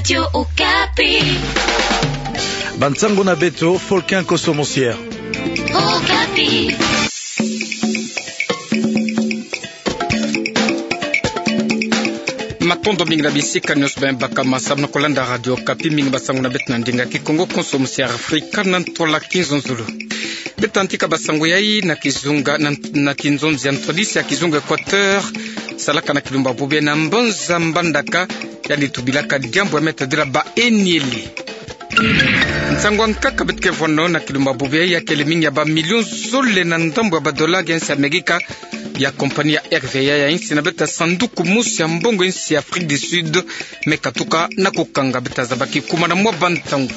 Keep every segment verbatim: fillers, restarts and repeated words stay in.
Radio Okapi. Bansango na beto, Folkin Koso Mosier. Okapi. Matondo mingi na bisika nyonso beno bakama samu na kolanda Radio Okapi. Mingi bansango na beto na ndinga Kikongo, konso mosier Afrika na ntwala Kinzonzolo. Beto tantika bansango yai na kizunga, na, na kinzonzi ya ntwadisi ya kizunga Equateur, salaka na kilumbu ya bobo na mbanza Mbandaka, yandi tubilaka diambu ya meta dila baenyele. Nsangu ya nkaka beto ke vwano na kilumbu ya bobo ya kele mingi ya bamilion zole na ndambu ya badolari ya nsi ya Amerika, ya kompani ya R V A ya nsi na beto ya sanduku mosi ya mbongo ya nsi ya Afrique du Sud, me katuka na kukanga. Beto tazaba kikuma na mwa bantangu.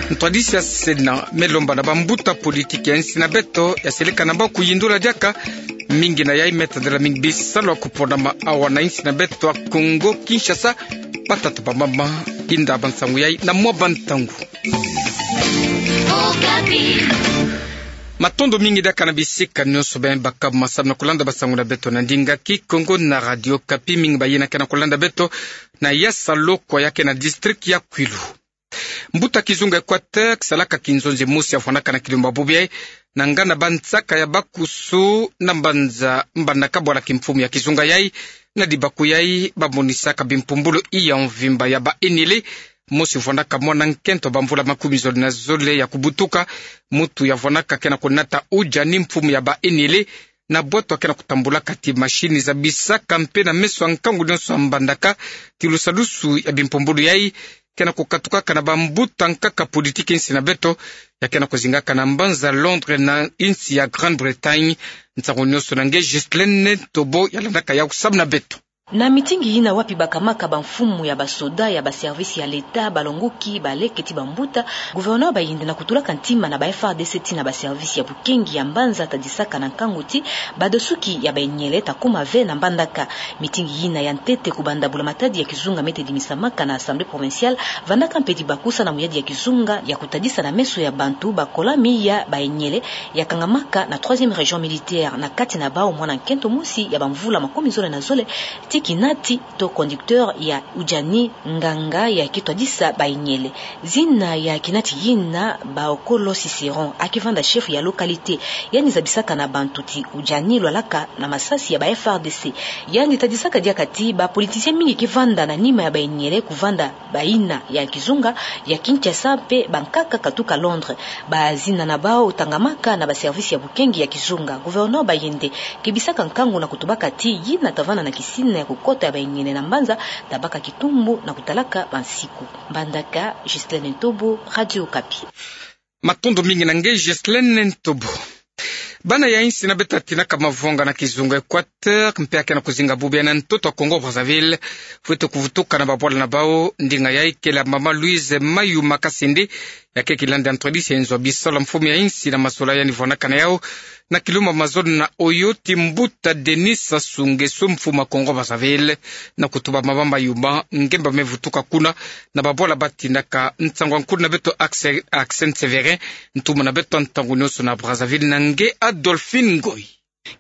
Ntwadisi ya Sénat me lomba na bambuta politiki ya nsi na beto ya seleka na bau kuyindula diaka mingi na yai meta dila mingi bisalu ya kuponama awa na nsi na beto ya Congo Kinshasa, batata bamama. Inda bansango yai na mwa bantangu. Matondo mingi diaka na bisika nyonso beno bakama samu na kolanda bansango na beto na ndinga Kikongo na Radio Okapi. Mingi bayina ke na kolanda beto na Yasa Lokwa ya ke na district ya Kwilu. Mbuta kizunga Equateur, kisalaka kinzonzi mosi ya vwanaka na kilumbu ya bobo yai, na ngana bansaka ya bakusu na mbanza Mbandaka bwala kimfumu ya kizunga yai, na dibaku yai bamonisaka bimpumbulu iya mvimba ya baenyele. Mosi vwanaka mwana nkento bamvula makumi zole na zole ya kubutuka, muntu ya vwanaka ke na kunata Udjani, mfumu ya baenyele, na bwatu ya ke na kutambulaka ti mashini zabisaka mpe na meso ya nkangu nyonso ya Mbandaka ti lusadusu ya bimpumbulu yai, ke na kukatukaka na bambuta nkaka politiki nsi na beto, ya ke na kuzingaka na mbanza Londres na nsi ya Grande-Bretagne. Nsangu nyonso na nge Ghislaine Ntobo ya landaka yau samu na beto. Na mitingi yina wapi bakamaka bamfumu ya basoda, ya baservice ya l'État, balongoki, baleke ti bambuta, gouverneur Bayende na kutulaka ntima na ba F A R D C ti na baservice ya bukengi ya mbanza tadisaka na nkangu ti badosuki ya baenyele ta kuma ve na Mbandaka. Mitingi yina ya ntete kubanda bula-matadi ya kizunga mete dimisamaka na Assemblée provinciale, vandaka mpe dibaku sa na muyadi ya kizunga ya kutadisa na meso ya bantu bakola mi ya baenyele ya kangamaka na troisième région militaire, na kati na bau mwana nkento mosi ya bamvula makumi zole na zole, ti kinati to conducteur ya Udjani, nganga ya kitwadisa baenyele. Zina ya kinati yina Baokolo Cicéron, akivanda chef ya localité. Yandi zabisaka na bantu ti Udjani lwalaka na masasi ya ba F A R D C. Yandi tadisaka diaka ti bapoliticien mingi kivanda na nima ya baenyele kuvanda bayina ya kizunga ya Kinshasa mpe bankaka katuka Londres. Bazina na bau tangamaka na baservice ya bukengi ya kizunga. Gouverneur Bayende kebisaka nkangu na kutubaka ti yina tavanda na kisina ya kukota ya baenyele na mbanza tabaka kitumbu na kutalaka bansiku. Mbandaka, Ghislaine Ntobo, Radio Okapi. Matondo mingi na nge Ghislaine Ntobo. Bana ya nsi na beto tatinaka mavonga na kizunga Equateur, mpe ya ke na kuzinga bubu yai na ntoto ya Congo Brazzaville, fwete kuvutuka na babwala na bau. Ndinga yai kele ya mama Louise Mayuma Kasende, ya ke kilandi ya ntwadisi ya nzo ya bisalu ya mfumu ya nsi na mazola yandi vwanaka na yau na kilumbu ya mazole na oyo ti mbuta Denis Sassou Nguesso, mfumu ya Congo Brazzaville, na kutuba mama Mayuma ngemba me vutuka kuna na babwala batindaka. Nsangu ya nkulu na beto Axel, Axel Sévérin, ntumwa na beto ya ntangu nyonso na Brazzaville na nge Adolphine Ngoy.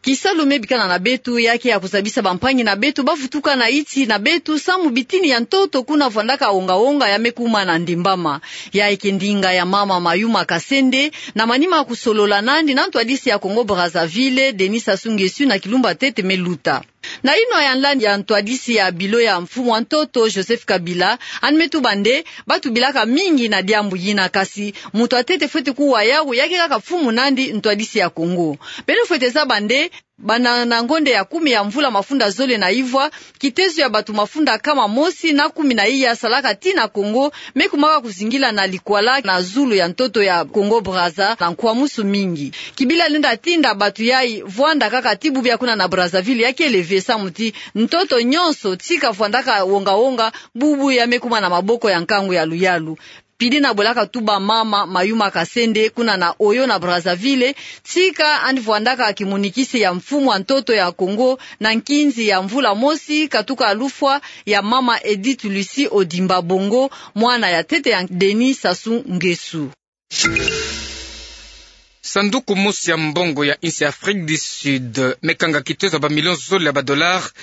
Kisalu me bikana na beto ya ke ya kuzabisa bampangi na beto bavutuka na iti na beto samu bitini ya ntoto kuna vwandaka wonga-wonga ya me kuma na ndembama. Yayi ke ndinga ya mama Mayuma Kasende, na manima ya kusolola nandi na ntwadisi ya Congo Brazzaville, Denis Sassou Nguesso, na kilumbu ya ntete me luta. Na inwa ya nlani ya ntwadisi ya bilo ya mfumu wa ntoto, Joseph Kabila, yandi me tuba nde batubilaka mingi na diambu yina, kasi muntu wa ntete fwete kuwa yau ya ke kaka mfumu nandi ntwadisi ya Congo. Beno fwete zaba nde banda na ngonde ya kumi ya mvula mafunda zole na ivwa, kitezo ya bato mafunda nkama mosi na kumi na iya salaka tii na Congo me kumaka kuzingila na likwala na zulu ya ntoto ya Congo Brazza na nkwamusu mingi. Kabila lenda tinda bato yayi vwanda kaka tii bubu ya kuna na Brazzaville ya kele ve samu ti ntoto nyonso tika vwandaka wonga-wonga, bubu ya me kuma na maboko ya nkangu ya luyalu. Pidi na bwelaka tuba mama Mayuma Kasende kuna na Oyo na Brazzaville, tika yandi vwandaka kimonikisi ya mfumu wa ntoto ya Congo na nkinzi ya mvula mosi katuka lufwa ya mama Edith Lucie Odimba Bongo, mwana ya ntete ya Denis Sassou Nguesso. Sanduku mosi ya mbongo ya insi ya Afrique du Sud me kanga kitezo ya ba millions zole ya ba dollars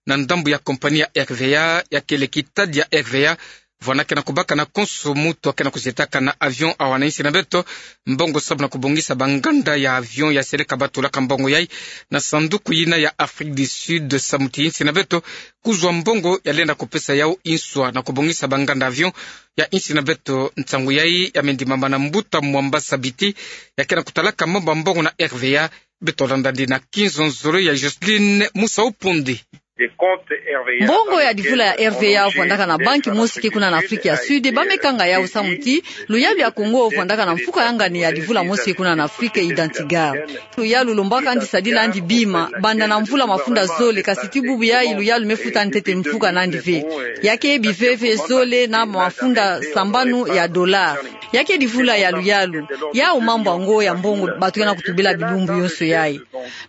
na ndambu ya compagnie ya R V A, ya kele kita ya R V A, vwanda ke na kubaka na konso mutu ake na kuzietaka na avion awa na insi na beto mbongo sababu na kubongisa banganda ya avion ya seleka batulaka mbongo yai na sanduku yina ya Afrique du Sud, samu ti insi na beto kuzwa mbongo ya lenda kupesa yau nswa na kubongisa banganda avion ya insi na beto. Nsangu yai ya mendimama na mbuta Mwamba Sabiti, ya ke na kutalaka mambu ya mbongo na R V A. Beto landa ndi na kinzonzolo ya Jocelyne Musa Upundi. Mbongo ya divula ya R V A vwandaka na banki mosi ke kuna na Afrique ya Sud, ba me kanga yau samu ti luyalu ya Congo vwandaka na mfuka ya ngani ya divula mosi ke kuna na Afrique, Identigard. Luyalu lombaka ndi sadila ndi bima banda na mvula mafunda zole, kasi ti bubu yai luyalu me futa ntete mfuka nandi ve. Ya ke biveve zole na mafunda sambanu ya dollar. Ya ke divula ya luyalu. Yau mambu yango ya mbongo bato ke na kutubila bilumbu yonso yai.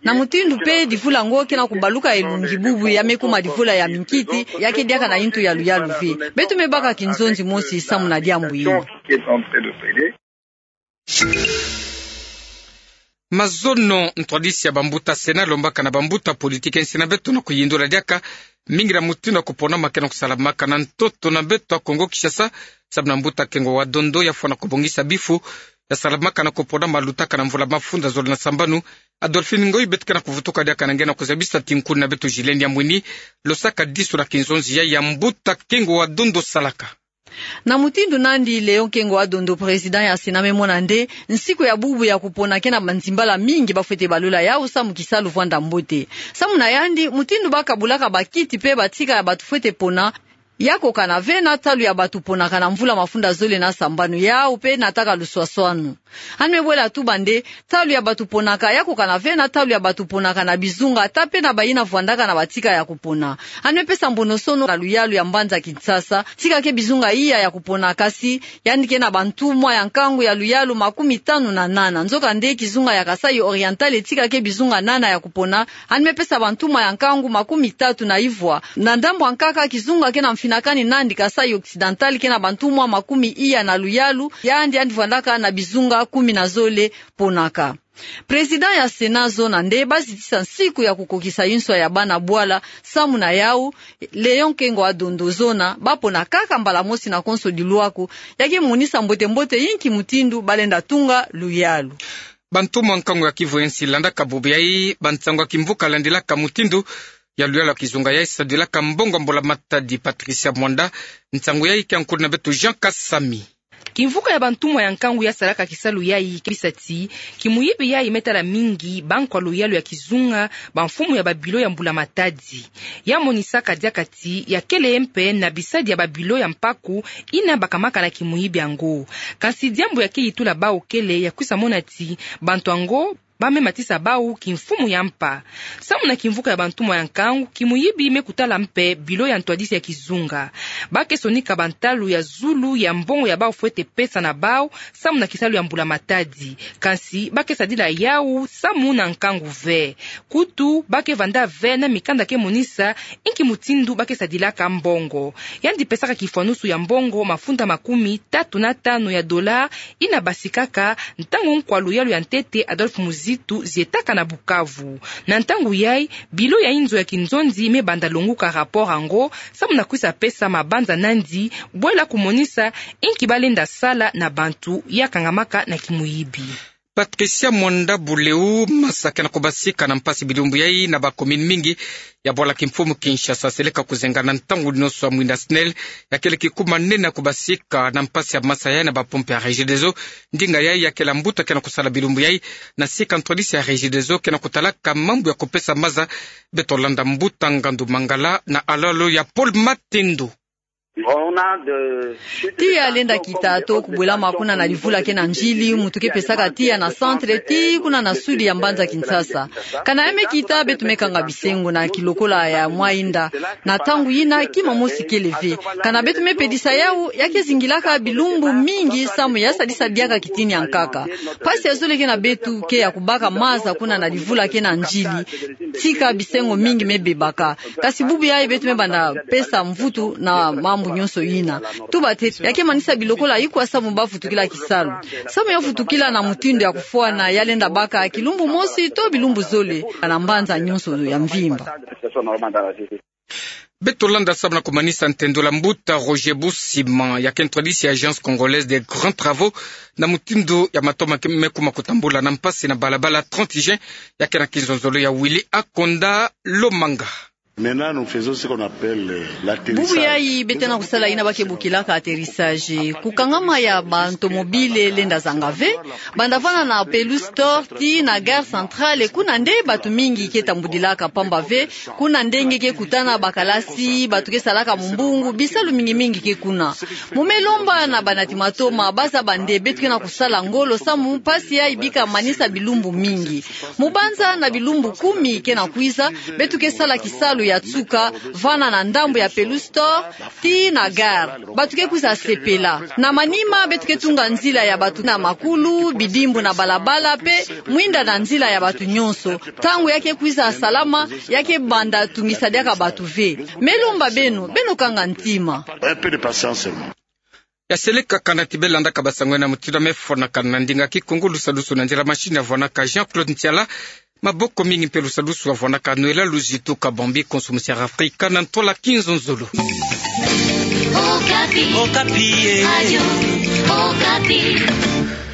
Na mutindu pe divula yango ke na kubaluka elungi bubu ya me kuma divula ya minkiti, ya ke diaka na intu ya luyalu ve. Beto me baka kinzonzi mosi samu na diambu yina. Mazono, ntwadisi ya bambuta Sénat lombaka na bambuta politique ya insi na beto na kuyindula diaka mingi na mutindu ya kuponama ke na kusalamaka na ntoto na beto ya Congo Kinshasa, sababu na mbuta Kengo wa Dondo ya fwana kubongisa bifu ya salamaka na kuponama lutaka na mvula mafunda zole na sambanu. Adolphine Ngoy, beto ke na kuvutuka diaka na nge na kuzabisa ti nkuni na beto Gilles Niambwini lo saka disu na kinzonzi yai ya mbuta Kengo wa Dondo salaka. Na mutindu nandi Léon Kengo wa Dondo, président ya Sénat, me mona nde nsiku ya bubu ya kupona ke na banzimbala mingi ba fwete balola yau samu kisalu vwanda mbote. Samu na yandi, mutindu ba kabulaka bakiti pe batika ya bato fwete pona, ya kokana ve na talu ya bato ponaka na mvula mafunda zole na sambanu, yau pe nataka luswaswanu. Yandi me bwela tuba nde talu ya bato ponaka ya kokana ve na talu ya bato ponaka na bizunga, ata pe na bayina vwandaka na batika ya kupona. Yandi me pesa mbonosono na luyalu ya mbanza Kinshasa, tika ke bizunga iya ya kupona, kasi yandi ke na bantumwa ya nkangu ya luyalu makumi tanu na nana. Nzokande kizunga ya Kasaï Oriental tika ke bizunga nana ya kupona, yandi me pesa bantumwa ya nkangu makumi tatu na ivwa. Na ndambu ya nkaka, kizunga ke na mfinakani nandi, Kasaï Occidental, ke na bantumwa makumi iya na luyalu, yandi, yandi vwandaka na bizunga kumi na zole ponaka. Président ya Sénat zona nde ba zitisa nsiku ya kukokisa inswa ya bana bwala, samu na yau, Léon Kengo wa Dondo zona ba pona kaka mbala mosi na konso dilwaku, ya ke monisa mbote-mbote inki mutindu ba lenda tunga luyalu. Bantumwa nkangu ya Kivu ya nsi landaka bubu yai bansangu ya kimvuka landilaka mutindu ya luyalu ya kizunga yai sadilaka mbongo ya mbula matadi. Patricia Mwanda, nsangu yai ke ya nkulu na beto Jean Kasami. Kimvuka ya bantumwa ya nkangu ya salaka kisalu yai ke bisa ti kimuyibi yai me tala mingi bankwa luyalu ya kizunga, bamfumu ya babilo ya mbula matadi. Ya monisaka diaka ti ya kele mpe na bisadi ya babilo ya mpaku yina bakamaka na kimuyibi yango. Kansi diambu ya ke yitula bau kele ya kwisa mona ti bantu yango ba me matisa bau kimfumu ya mpa. Samu na kimvuka ya bantumwa ya nkangu, kimuyibi me kutala mpe bilo ya ntwadisi ya kizunga. Ba ke sonika bantalu ya zulu ya mbongo ya bau fwete pesa na bau samu na kisalu ya mbula matadi. Kansi ba ke sadila yau samu na nkangu ve. Kutu, ba ke vanda ve na mikanda ke monisa inki mutindu ba ke sadilaka mbongo. Yandi pesaka kifwanusu ya mbongo mafunda makumi tatu na tanu ya dola yina basikaka ntangu nkwa luyalu ya ntete Adolphe Muzitu zietaka na Bukavu. Na ntangu yai, bilo ya inzo ya kinzonzi me banda longuka rapport yango, samu na kwisa pesa mabanza nandi bwela kumonisa inki ba lenda sala na bantu ya kangamaka na kimuyibi. Patricia Mwanda Buleu. Masa ke na kubasika na mpasi bilumbu yai na ba commune mingi ya bwala kimfumu Kinshasa. Seleka kuzenga na ntangu nyonso ya mwinda SNEL ya kele kikuma nene ya kubasika na mpasi ya masa yai na ba pompe ya Regideso. Ndinga yai ya kele mbuta ke na kusala bilumbu yai na sika ntwadisi ya Regideso ke na kutalaka mambu ya kupesa maza. Beto landa mbuta Ngandu Mangala na alalo ya Paul Matendo. Tiya lenda kita to kubwelama kuna na livula ke na njili, muntu ke pesaka tiya na centre ti kuna na sud ya mbanza Kinshasa. Kana ya me kita, beto me kanga bisengo na kilokola ya mwayinda. Na ntangu yina, kima mosi kele ve. Kana beto me pedisa yau, ya ke zingilaka bilumbu mingi samu ya sadisa diaka kitini ya nkaka. Mpasi ya zole ke na beto ke ya kubaka maza kuna na livula ke na njili. Tika bisengo mingi me bebaka. Kasi bubu yai beto me banda pesa mvutu na mambu nyonso yina. Tuba te, ya ke manisa biloko la ikwa samu ba vutukila kisalu. Samu ya vutukila na mutindu ya kufwana, ya lenda baka kilumbu mosi to bilumbu zole na mbanza nyonso ya mvimba. Beto landa salu na kumanisa ntendolo ya mbuta Roger Busima, ya ke ntwadisi ya Agence Congolaise des Grands Travaux, na mutindu ya matomo me kuma kutambula na mpasi na balabala trente juin, ya ke na kinzonzolo ya Willy Akonda Lomanga. Maintenant, nous faisons ce qu'on appelle, euh, l'atterrissage. Bubu yayi beto na kusala yina ba ke bokilaka atterrissage. Kukangama ya bantomobile lenda zanga ve, banda vana na Peluztor tii na Gare Centrale, kuna nde bantu mingi ke tambudilaka pamba ve, kuna nde nge ke kutana bakalasi, bantu ke salaka mumbungu, bisalu mingi mingi ke kuna. Mu me lomba na banati matoma, ba zaba nde beto ke na kusala ngolo samu mpasi yayi bika manisa bilumbu mingi. Mu banza na bilumbu kumi ke na kwiza, beto ke sala kisalu ya nsuka, vana na ndambu ya Peluztor tii na gare. Bantu ke kwiza sepela. Na manima, beto ke tunga nzila ya bantu na makulu, bidimbu na balabala, pe mwinda na nzila ya bantu nyonso. Ntangu ya ke kwiza salama, ya ke banda tungisa diaka bantu ve. Me lomba beno, beno kanga ntima. Un peu de patience seulement. Ya seleka kana ti be landaka basango na mutindu ya me fwanakana na ndinga Kikongo, lusadusu na nzila machine ya vwanaka Jean-Claude Ntiala. Maboko mingi mpe lusadusu ya vwanaka Noëlla Luzitu Kabambi, konso musiara Afrika na ntwala kinzonzolo. Okapi. Okapi, eh. Radio Okapi.